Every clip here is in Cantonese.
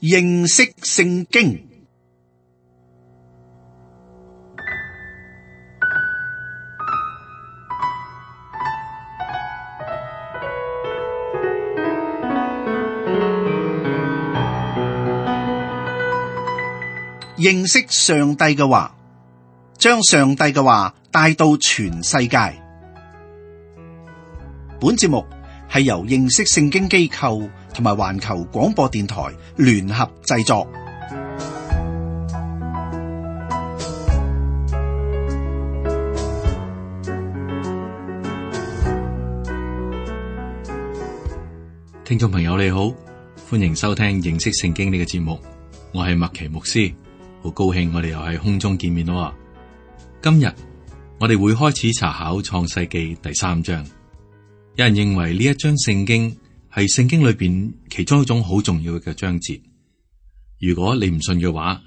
認識聖經。認識上帝嘅話，將上帝嘅話帶到全世界。本節目係由認識聖經機構同埋環球廣播電台聯合製作。聽眾朋友你好，歡迎收聽認識聖經呢個節目，我係麥奇牧師，好高興我哋又喺空中見面咯。今日我哋會開始查考創世記第3章。有人認為呢一章聖經係聖經裏邊其中一種好重要嘅章節。如果你唔信嘅話，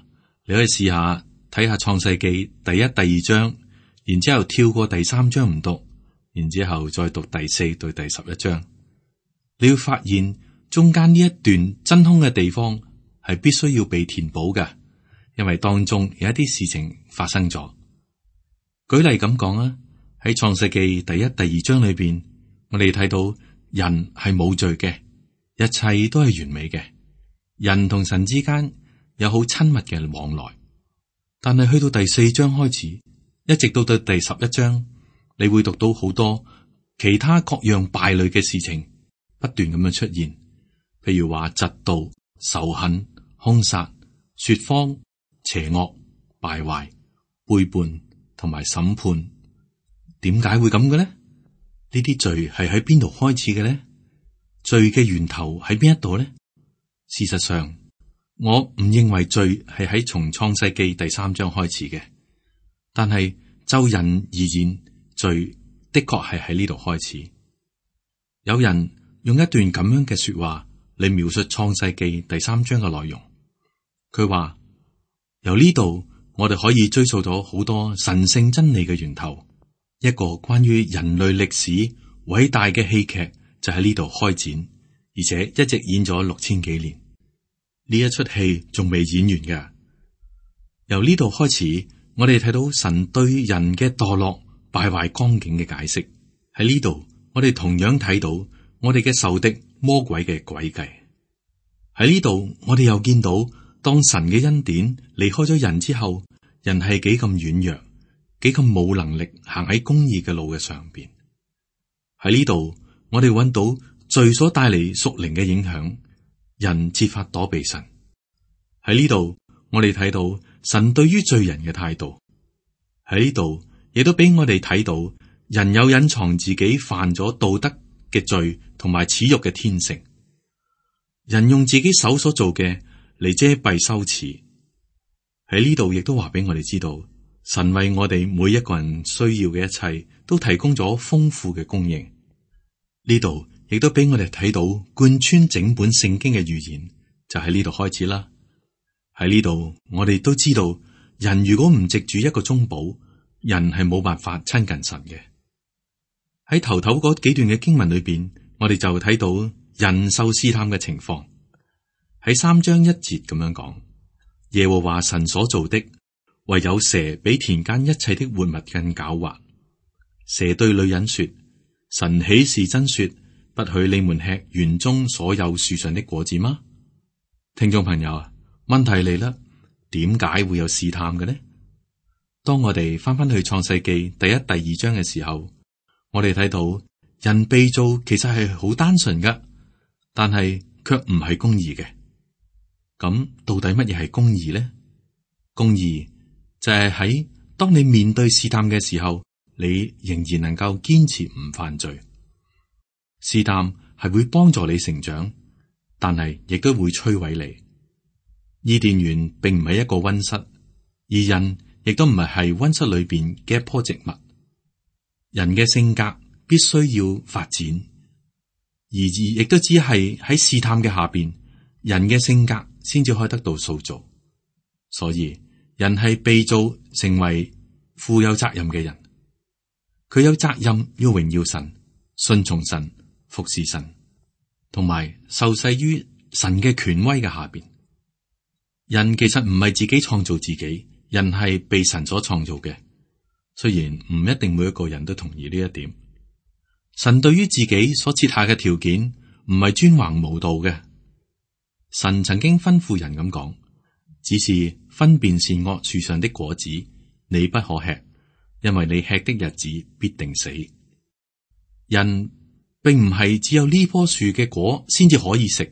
你可以試下睇下創世記第1、第2章，然之後跳過第3章唔讀，然之後再讀第4到第11章。你要發現中間呢一段真空嘅地方係必須要被填補嘅，因為當中有一啲事情發生咗。舉例咁講啊，喺創世記第1、第2章裏邊，我哋睇到人係冇罪嘅，一切都係完美嘅，人同神之間有好親密嘅往來。但係去到第4章開始，一直到第11章，你會讀到好多其他各樣敗類嘅事情不斷咁樣出現，譬如話嫉妒、仇恨、兇殺、說謊、邪惡、敗壞、背叛同埋審判。點解會咁嘅呢？呢啲罪係喺邊度開始嘅呢？罪嘅源頭喺邊一度呢？事實上，我唔認為罪係喺從創世記第3章開始嘅，但係就人而言，罪的確係喺呢度開始。有人用一段咁樣嘅說話嚟描述創世記第3章嘅內容。佢話由呢度我哋可以追溯到好多神聖真理嘅源頭。一個關於人類歷史偉大嘅戲劇就喺呢度開展，而且一直演咗6000幾年。呢一出戲仲未演完嘅。由呢度開始，我哋睇到神對人嘅墮落敗壞光景嘅解釋。喺呢度，我哋同樣睇到我哋嘅仇敵魔鬼嘅詭計。喺呢度，我哋又見到當神嘅恩典離開咗人之後，人係幾咁軟弱，幾咁冇能力行喺公義嘅路嘅上邊。喺呢度，我哋揾到罪所帶嚟屬靈嘅影響，人設法躲避神。喺呢度，我哋睇到神對於罪人嘅態度。喺呢度，亦都俾我哋睇到人有隱藏自己犯咗道德嘅罪同埋恥辱嘅天性。人用自己手所做嘅嚟遮蔽羞恥。喺呢度亦都話俾我哋知道，神為我哋每一個人需要嘅一切都提供咗豐富嘅供應。呢度亦都俾我哋睇到貫穿整本聖經嘅預言，就喺呢度開始啦。喺呢度我哋都知道，人如果唔藉住一個中保，人係冇辦法親近神嘅。喺頭嗰幾段嘅經文裏邊，我哋就睇到人受試探嘅情況。喺3章1節咁樣講，耶和華神所造的，唯有蛇比田間一切的活物更狡猾。蛇對女人說：神豈是真說，不許你們吃園中所有樹上的果子嗎？聽眾朋友啊，問題嚟啦，點解會有試探嘅呢？當我哋翻去創世記第1、第2章嘅時候，我哋睇到人被造其實係好單純噶，但係卻唔係公義嘅。咁到底乜嘢係公義呢？公義就係喺當你面對試探嘅時候，你仍然能夠堅持唔犯罪。試探係會幫助你成長，但係亦都會摧毀你。伊甸園並唔係一個溫室，而人亦都唔係溫室裏邊嘅一棵植物。人嘅性格必須要發展，而亦都只係喺試探嘅下邊，人嘅性格先至可以得到塑造。所以人係被造成為負有責任嘅人，佢有責任要榮耀神、順從神、服侍神，同埋受制於神嘅權威嘅下邊。人其實唔係自己創造自己，人係被神所創造嘅。雖然唔一定每一個人都同意呢一點，神對於自己所設下嘅條件唔係專橫無道嘅。神曾經吩咐人咁講，只是分辨善惡樹上的果子，你不可吃，因為你吃的日子必定死。人並唔係只有呢棵樹嘅果先至可以食。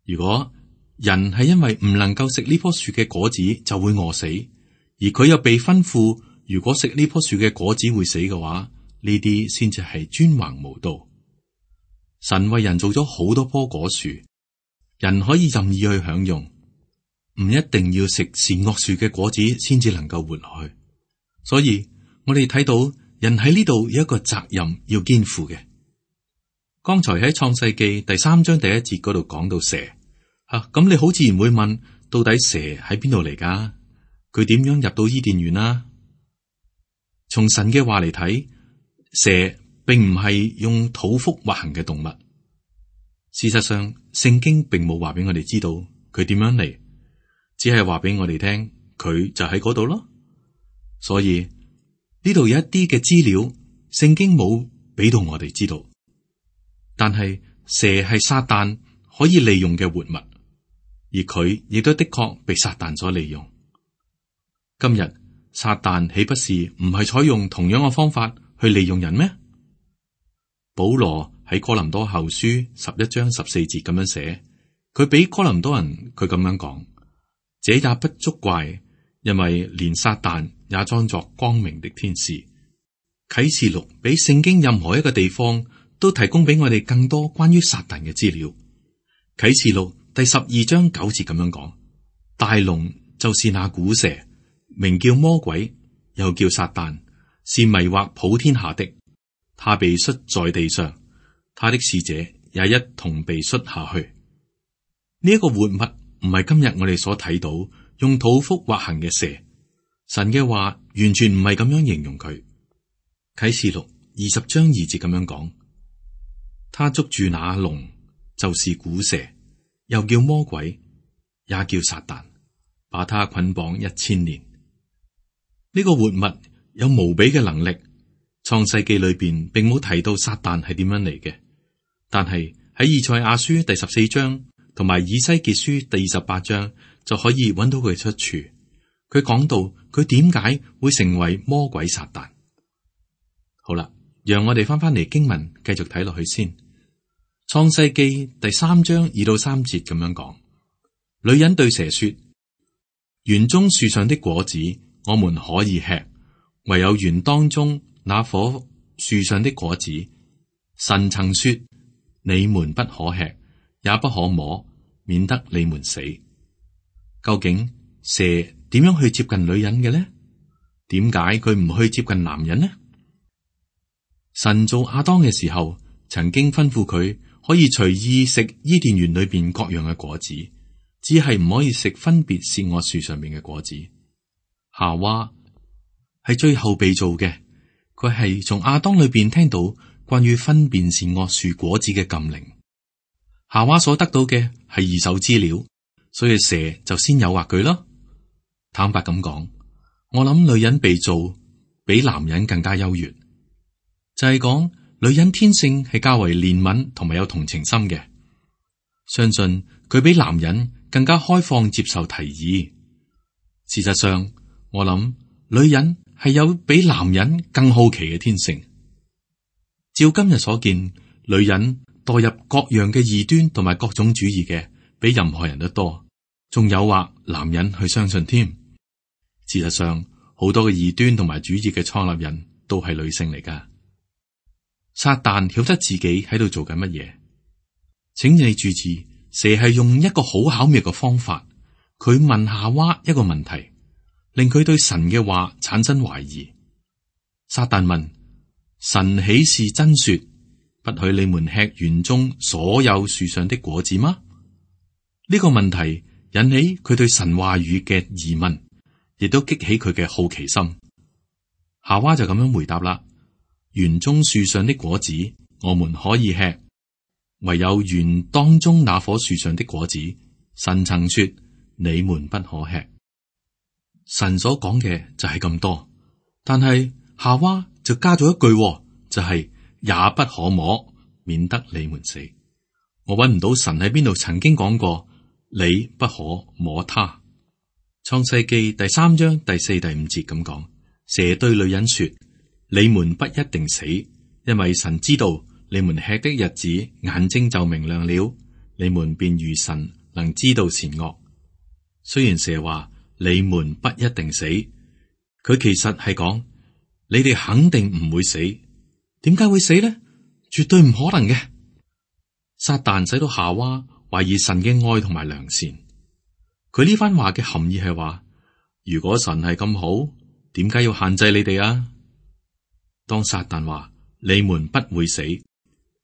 如果人係因為唔能夠食呢棵樹嘅果子就會餓死，而佢又被吩咐如果食呢棵樹嘅果子會死嘅話，呢啲先至係專橫無道。神為人做咗好多棵果樹，人可以任意去享用，唔一定要食善惡樹嘅果子先至能夠活落去。所以我哋睇到人喺呢度有一個責任要肩負嘅。剛才喺創世記第3章第1節嗰度講到蛇，咁你好自然會問，到底蛇喺邊度嚟㗎？佢點樣入到伊甸園啊？從神嘅話嚟睇，蛇並唔係用肚腹滑行嘅動物。事實上，聖經並冇話俾我哋知道佢點樣嚟，只係話俾我哋聽佢就喺嗰度咯。所以呢度有一啲嘅資料，聖經冇俾到我哋知道。但係蛇係撒旦可以利用嘅活物，而佢亦都的確被撒旦所利用。今日撒旦豈不是唔係採用同樣嘅方法去利用人咩？保羅喺哥林多後書11章14節咁樣寫，佢俾哥林多人佢咁樣講，這也不足怪，因為連撒旦也裝作光明的天使。啟示錄比聖經任何一個地方都提供俾我哋更多關於撒旦嘅資料。啟示錄第12章9節咁樣講，大龍就是那古蛇，名叫魔鬼，又叫撒旦，是迷惑普天下的。他被摔在地上，他的使者也一同被摔下去。呢一個活物唔係今日我哋所睇到用肚腹滑行嘅蛇。神嘅話完全唔係咁樣形容佢。啟示錄20章2節咁樣講，他捉住那龍，就是古蛇，又叫魔鬼，也叫撒旦，把他捆綁1000年。呢個活物有無比嘅能力。創世記裏邊並冇提到撒旦係點樣嚟嘅，但係喺以賽亞書第14章同埋以西結書第28章就可以揾到佢出處。佢講到佢點解會成為魔鬼撒旦。好啦，讓我哋翻嚟經文繼續睇落去先。創世記第3章2到3節咁樣講，女人對蛇說：園中樹上的果子我們可以吃，唯有園當中那棵樹上的果子，神曾說你們不可吃，也不可摸，免得你們死。究竟蛇點樣去接近女人嘅呢？點解佢唔去接近男人呢？神造亞當嘅時候，曾經吩咐佢可以隨意食伊甸園裏邊各樣嘅果子，只係唔可以食分別善惡樹上面嘅果子。夏娃係最後被造嘅。佢係從亞當裏邊聽到關於分辨善惡樹果子嘅禁令。夏娃所得到嘅係二手資料，所以蛇就先誘惑佢咯。坦白咁講，我諗女人被造比男人更加優越，就係講女人天性係較為憐憫同埋有同情心嘅。相信佢比男人更加開放接受提議。事實上，我諗女人係有比男人更好奇嘅天性。照今日所見，女人墮入各樣嘅異端同埋各種主義嘅，比任何人都多，仲誘惑男人去相信添。事實上，好多嘅異端同埋主義嘅創立人都係女性嚟噶。撒旦曉得自己喺度做緊乜嘢，請你注意，蛇係用一個好巧妙嘅方法，佢問夏娃一個問題，令佢對神嘅話產生懷疑。撒旦問：神豈是真說不許你們吃園中所有樹上的果子嗎？呢個問題引起佢對神話語嘅疑問，亦都激起佢嘅好奇心。夏娃就咁樣回答啦：園中樹上的果子我們可以吃，唯有園當中那棵樹上的果子，神曾說你們不可吃。神所講嘅就係咁多，但係夏娃就加咗一句，就係也不可摸，免得你們死。我揾唔到神喺邊度曾經講過你不可摸他。創世記第3章第4、第5節咁講，蛇對女人說：你們不一定死，因為神知道你們吃的日子，眼睛就明亮了，你們便如神，能知道善惡。雖然蛇話你們不一定死，佢其實係講你哋肯定唔會死。點解會死呢？絕對唔可能嘅。撒旦使到夏娃懷疑神嘅愛同埋良善。佢呢番話嘅含義係話，如果神係咁好，點解要限制你哋啊？當撒旦話你們不會死，佢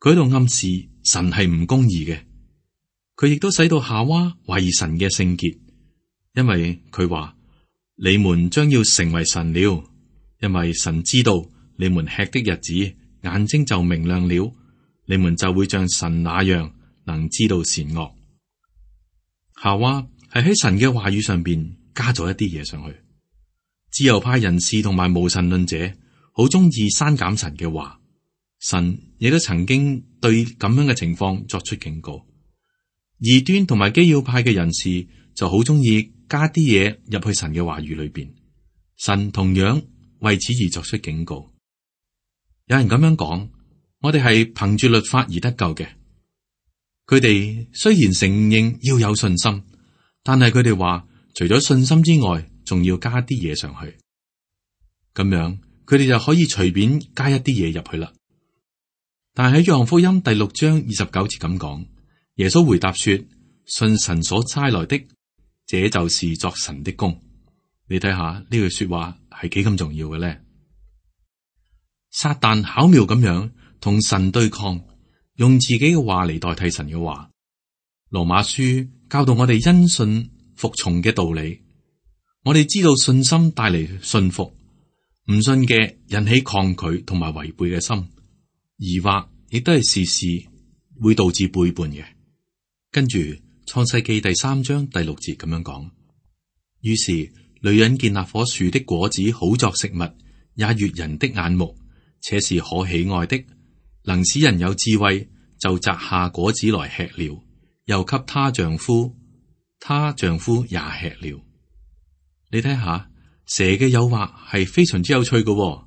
喺度暗示神係唔公義嘅。佢亦都使到夏娃懷疑神嘅聖潔，因為佢話你們將要成為神了，因為神知道你們吃的日子，眼睛就明亮了，你們就會像神那樣能知道善惡。夏娃係喺神嘅話語上邊加咗一啲嘢上去。自由派人士同埋無神論者好中意刪減神嘅話，神亦都曾經對咁樣嘅情況作出警告。異端同埋基要派嘅人士就好中意加啲嘢入去神嘅話語裏邊，神同樣為此而作出警告。有人咁樣講，我哋係憑住律法而得救嘅。佢哋雖然承認要有信心，但係佢哋話除咗信心之外，仲要加啲嘢上去。咁樣佢哋就可以隨便加一啲嘢入去啦。但係喺約翰福音第6章29節咁講，耶穌回答說：信神所差來的，這就是作神的工。你睇下呢句說話係幾咁重要嘅咧？撒旦巧妙咁樣同神對抗，用自己嘅話嚟代替神嘅話。羅馬書教導我哋因信服從嘅道理。我哋知道信心帶嚟信服，唔信嘅引起抗拒同埋違背嘅心，疑惑亦都係時時會導致背叛嘅。跟住創世記第3章第6節咁樣講，於是女人見那棵樹的果子好作食物，也悅人的眼目，且是可喜愛的，能使人有智慧，就摘下果子來吃了，又給她丈夫，她丈夫也吃了。你睇下蛇嘅誘惑係非常之有趣嘅，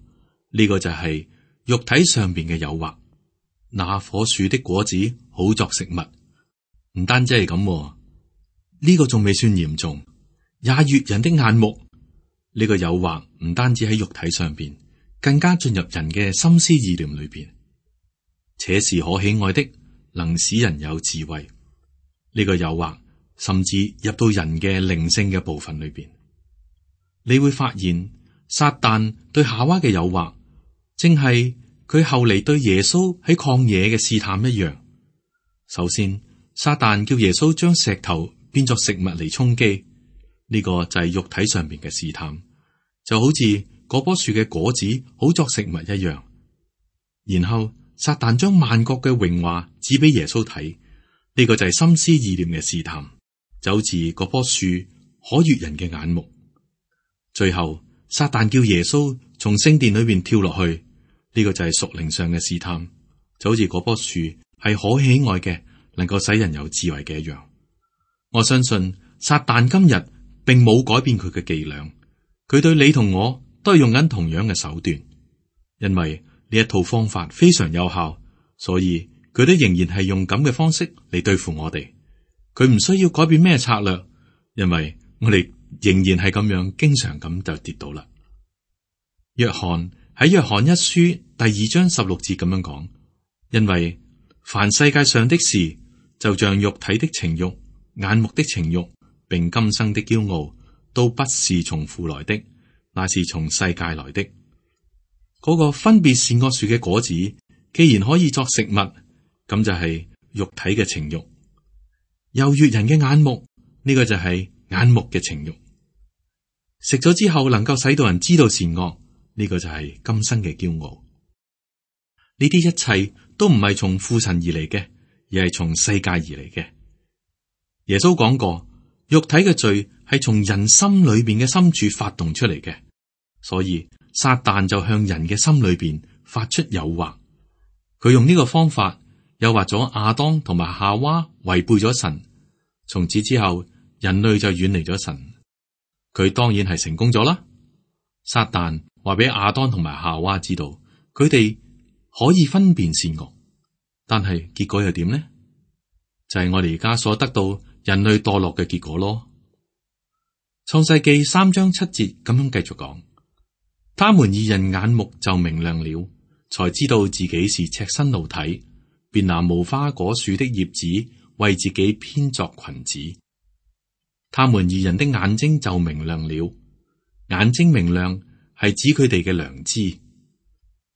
呢個就係肉體上邊嘅誘惑。那棵樹的果子好作食物，唔單止係咁，呢個仲未算嚴重，也悅人的眼目。呢個誘惑唔單止喺肉體上邊，更加進入人嘅心思意念裏邊，且是可喜愛的，能使人有智慧。呢個誘惑甚至入到人嘅靈性嘅部分裏邊。你會發現撒旦對夏娃嘅誘惑，正係佢後嚟對耶穌喺曠野嘅試探一樣。首先，撒旦叫耶穌將石頭變作食物嚟充飢，呢個就係肉體上邊嘅試探，就好似嗰棵樹嘅果子好作食物一樣。然後撒旦將萬國嘅榮華指俾耶穌睇，呢個就係心思意念嘅試探，就好似嗰棵樹可悅人嘅眼目。最後，撒旦叫耶穌從聖殿裏邊跳落去，呢個就係屬靈上嘅試探，就好似嗰棵樹係可喜愛嘅，能夠使人有智慧嘅一樣。我相信撒旦今日並冇改變佢嘅伎倆，佢對你同我都係用緊同樣嘅手段，因為呢一套方法非常有效，所以佢都仍然係用咁嘅方式嚟對付我哋。佢唔需要改變咩策略，因為我哋仍然係咁樣，經常咁就跌倒啦。約翰喺約翰一書第2章16節咁樣講，因為凡世界上的事，就像肉體的情慾、眼目的情慾，並今生的驕傲，都不是從父來的，乃是從世界來的。嗰個分別善惡樹嘅果子，既然可以作食物，咁就係肉體嘅情慾；又悅人嘅眼目，呢個就係眼目嘅情慾。食咗之後能夠使到人知道善惡，呢個就係今生嘅驕傲。呢啲一切都唔係從父神而嚟嘅，而係從世界而嚟嘅。耶穌講過，肉體嘅罪係從人心裏邊嘅深處發動出嚟嘅，所以撒旦就向人嘅心裏邊發出誘惑。佢用呢個方法誘惑咗亞當同埋夏娃違背咗神，從此之後人類就遠離咗神。佢當然係成功咗啦。撒旦話俾亞當同埋夏娃知道，佢哋可以分辨善惡，但係結果又點呢？就係我哋而家所得到人類墮落嘅結果咯。創世記3章7節咁樣繼續講，他們二人眼目就明亮了，才知道自己是赤身露體，便拿無花果樹的葉子為自己編作裙子。他們二人的眼睛就明亮了，眼睛明亮係指佢哋嘅良知。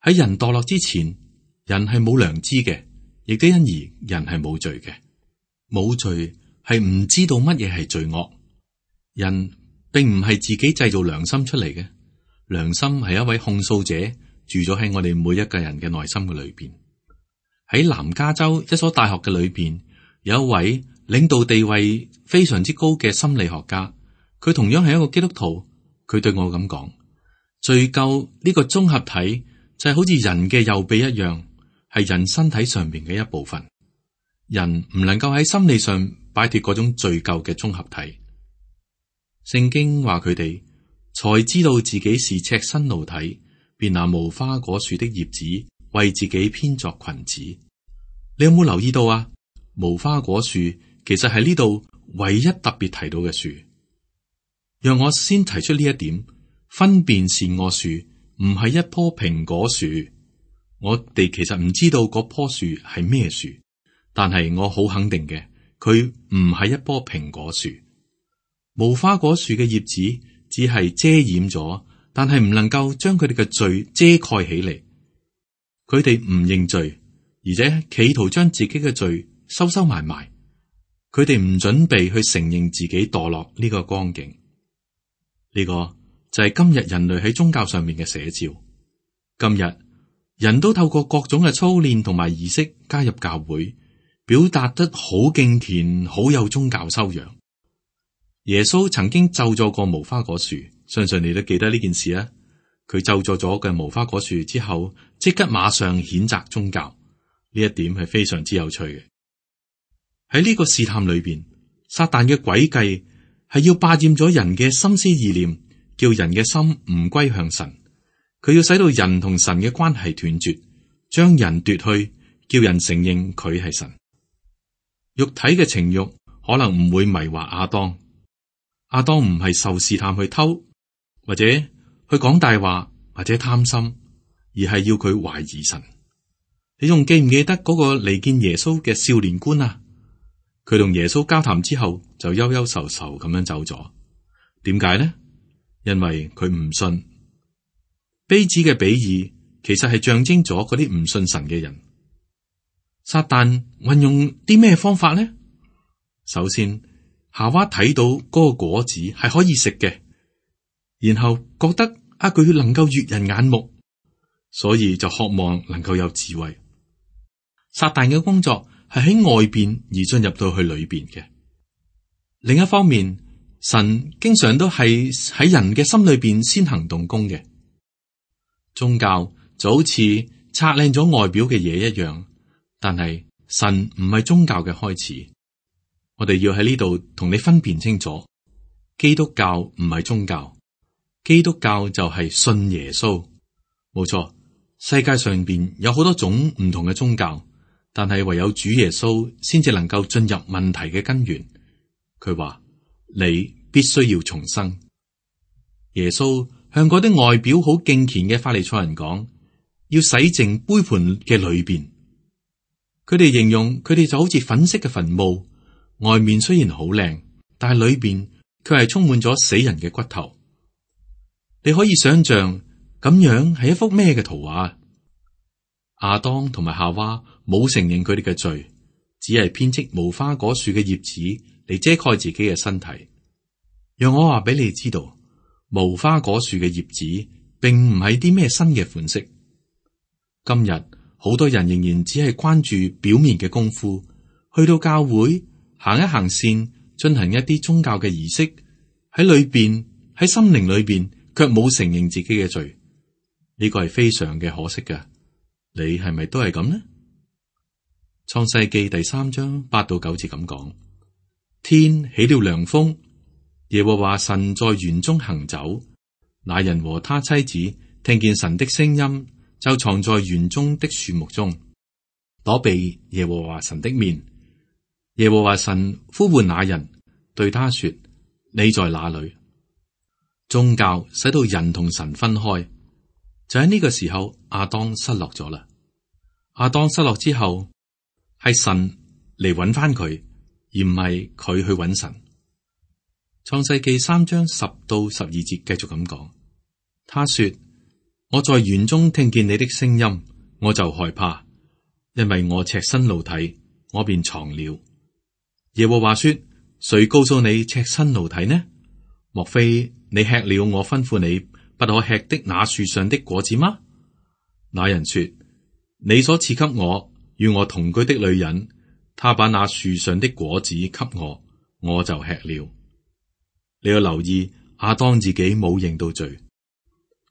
喺人墮落之前，人係冇良知嘅，亦都因而人係冇罪嘅。冇罪係唔知道乜嘢係罪惡。人並唔係自己製造良心出嚟嘅，良心係一位控訴者住咗喺我哋每一個人嘅內心嘅裏邊。喺南加州一所大學嘅裏邊，有一位領導地位非常之高嘅心理學家，佢同樣係一個基督徒。佢對我咁講，罪疚呢個綜合體就係好似人嘅右臂一樣，係人身體上邊嘅一部分。人唔能夠喺心理上擺脫嗰種罪疚嘅綜合體。聖經話佢哋才知道自己是赤身露體，便拿無花果樹的葉子為自己編作裙子。你有冇留意到啊？無花果樹其實係呢度唯一特別提到嘅樹。讓我先提出呢一點，分辨善惡樹唔係一棵蘋果樹。我哋其實唔知道嗰棵樹係咩樹，但係我好肯定嘅，佢唔係一棵蘋果樹。無花果樹嘅葉子只係遮掩咗，但係唔能夠將佢哋嘅罪遮蓋起嚟。佢哋唔認罪，而且企圖將自己嘅罪收埋埋。佢哋唔準備去承認自己墮落呢個光景。呢個就係今日人類喺宗教上面嘅寫照。今日人都透過各種嘅操練同埋儀式加入教會，表達得好敬虔，好有宗教修養。耶穌曾經咒詛過無花果樹，相信你都記得呢件事啊。佢咒詛咗嘅無花果樹之後，即刻馬上譴責宗教。呢一點係非常之有趣嘅。喺呢個試探裏邊，撒旦嘅詭計係要霸佔咗人嘅心思意念，叫人嘅心唔歸向神。佢要使到人同神嘅關係斷絕，將人奪去，叫人承認佢係神。肉體嘅情欲可能唔會迷惑亞當。亞當唔係受試探去偷，或者去講大話，或者貪心，而係要佢懷疑神。你仲記唔記得嗰個嚟見耶穌嘅少年官啊？佢同耶穌交談之後就憂憂愁愁咁樣走咗。點解呢？因為佢唔信。杯子嘅比喻其實係象徵咗嗰啲唔信神嘅人。撒旦運用啲咩方法呢？首先，夏娃睇到嗰個果子係可以食嘅，然後覺得佢能夠悅人眼目，所以就渴望能夠有智慧。撒旦嘅工作係喺外邊而進入到去裏邊嘅。另一方面，神經常都係喺人嘅心裏邊先行動工嘅。宗教就好似擦靚咗外表嘅嘢一樣，但係神唔係宗教嘅開始。我哋要喺呢度同你分辨清楚，基督教唔係宗教，基督教就係信耶穌。冇錯，世界上邊有好多種唔同嘅宗教，但係唯有主耶穌先至能夠進入問題嘅根源。佢話你必須要重生。耶穌向嗰啲外表好敬虔嘅法利賽人講，要洗淨杯盤嘅裏邊。佢哋形容佢哋就好似粉色嘅墳墓，外面雖然好靚，但係裏邊卻係充滿咗死人嘅骨頭。你可以想象咁樣係一幅咩嘅圖畫？亞當同埋夏娃冇承認佢哋嘅罪，只係編織無花果樹嘅葉子嚟遮蓋自己嘅身體。讓我話俾你知道，無花果樹嘅葉子並唔係啲咩新嘅款式。今日好多人仍然只係關注表面嘅功夫，去到教會行一行線，進行一啲宗教嘅儀式，喺裏邊喺心靈裏邊卻冇承認自己嘅罪，呢個係非常嘅可惜嘅。你係咪都係咁呢？創世記第3章8到9節咁講：天起了涼風，耶和華神在園中行走，那人和他妻子聽見神的聲音，就藏在園中的樹木中，躲避耶和華神的面。耶和華神呼喚那人，對他說：你在哪裏？宗教使到人同神分開，就喺呢個時候，亞當失落咗啦。亞當失落之後，係神嚟揾翻佢，而唔係佢去揾神。創世記3章10到12節繼續咁講，他說：我在園中聽見你的聲音，我就害怕，因為我赤身露體，我便藏了。耶和華說：誰告訴你赤身露體呢？莫非你吃了我吩咐你不可吃的那樹上的果子嗎？那人說：你所賜給我與我同居的女人，她把那樹上的果子給我，我就吃了。你要留意，亞當自己冇認到罪，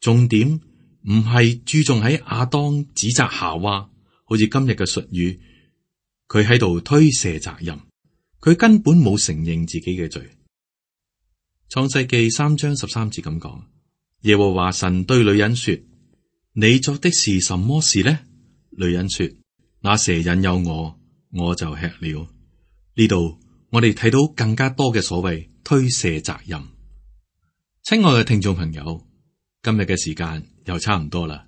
重點唔係注重喺亞當指責夏娃，好似今日嘅術語，佢喺度推卸責任，佢根本冇承認自己嘅罪。創世記3章13節咁講：耶和華神對女人說：你作的是什麼事呢？女人說：那蛇引誘我，我就吃了。呢度我哋睇到更加多嘅所謂推卸責任。親愛嘅聽眾朋友，今日嘅時間又差唔多啦。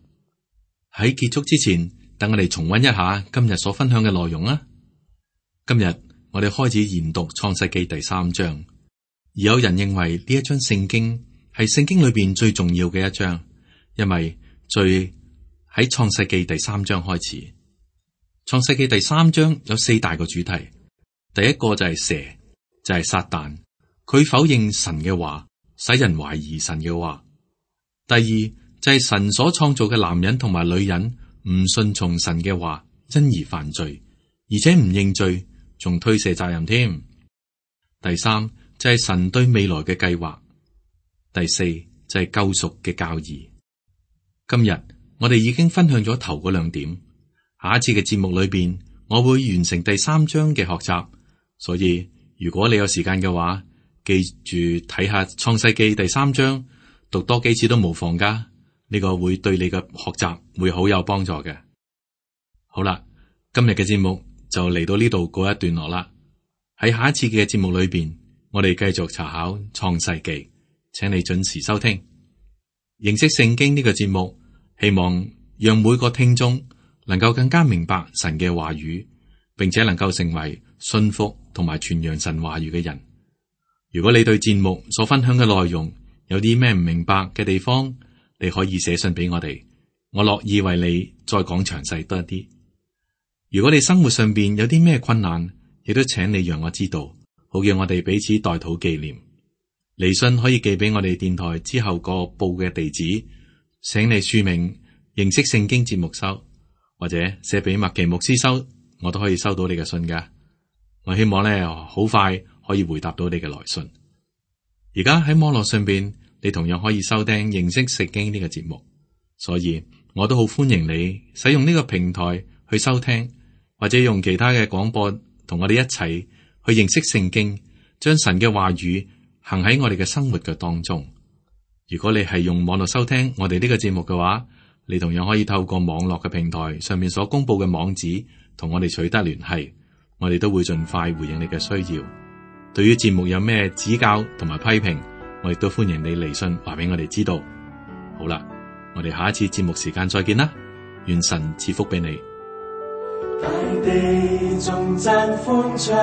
喺結束之前，等我哋重溫一下今日所分享嘅內容啦。今日我哋開始研讀創世記第3章。而有人認為呢一章聖經係聖經裏邊最重要嘅一章，因為罪喺創世記第3章開始。創世記第3章有4大個主題，第一個就係蛇，就係撒旦，佢否認神嘅話，使人懷疑神嘅話。第二就係神所創造嘅男人同埋女人唔順從神嘅話，因而犯罪，而且唔認罪，仲推卸責任添。第三就係神對未來嘅計劃。第四就係救贖嘅教義。今日我哋已經分享咗頭嗰2點，下一次嘅節目裏邊我會完成第3章嘅學習，所以如果你有時間嘅話，記住睇下創世記第3章，讀多幾次都無妨噶，呢個會對你嘅學習會好有幫助嘅。好啦，今日嘅節目就嚟到呢度告一段落啦。喺下一次嘅節目裏邊，我哋繼續查考創世記，請你準時收聽認識聖經呢個節目，希望讓每個聽眾能夠更加明白神嘅話語，並且能夠成為信服同埋傳揚神話語嘅人。如果你對節目所分享嘅內容有啲咩唔明白嘅地方，你可以寫信俾我哋，我樂意為你再講詳細多一啲。如果你生活上邊有啲咩困難，亦都請你讓我知道，好叫我哋彼此代禱紀念。嚟信可以寄俾我哋電台之後個報嘅地址，請你署名認識聖經節目收，或者寫俾麥奇牧師收，我都可以收到你嘅信噶。我希望咧好快可以回答到你嘅來信。而家喺網絡上邊，你同樣可以收聽認識聖經呢個節目，所以我都好歡迎你使用呢個平台去收聽，或者用其他嘅廣播同我哋一齊去認識聖經，將神嘅話語行喺我哋嘅生活嘅當中。如果你係用網絡收聽我哋呢個節目嘅話，你同樣可以透過網絡嘅平台上面所公布嘅網址同我哋取得聯繫，我哋都會盡快回應你嘅需要。對於節目有咩指教同埋批評，我亦都歡迎你嚟信話俾我哋知道。好啦，我哋下一次節目時間再見啦，願神賜福俾你。大地頌讚歡唱，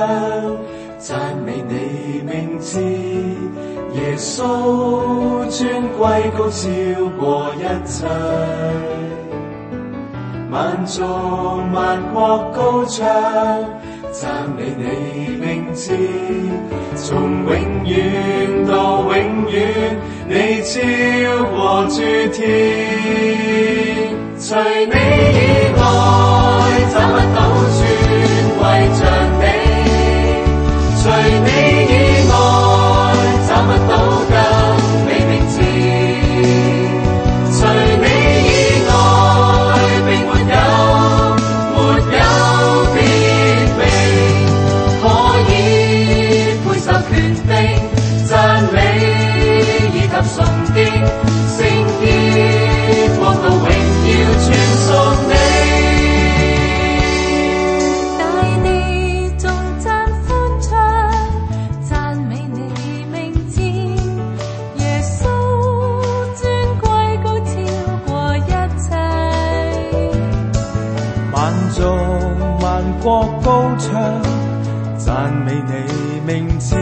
讚美你名字，耶穌尊貴高超過一切，萬族萬國高唱，讚美你名字，從永遠到永遠，你超過諸天，除你以外找不到尊貴像你，除你以國高唱，讚美你名字。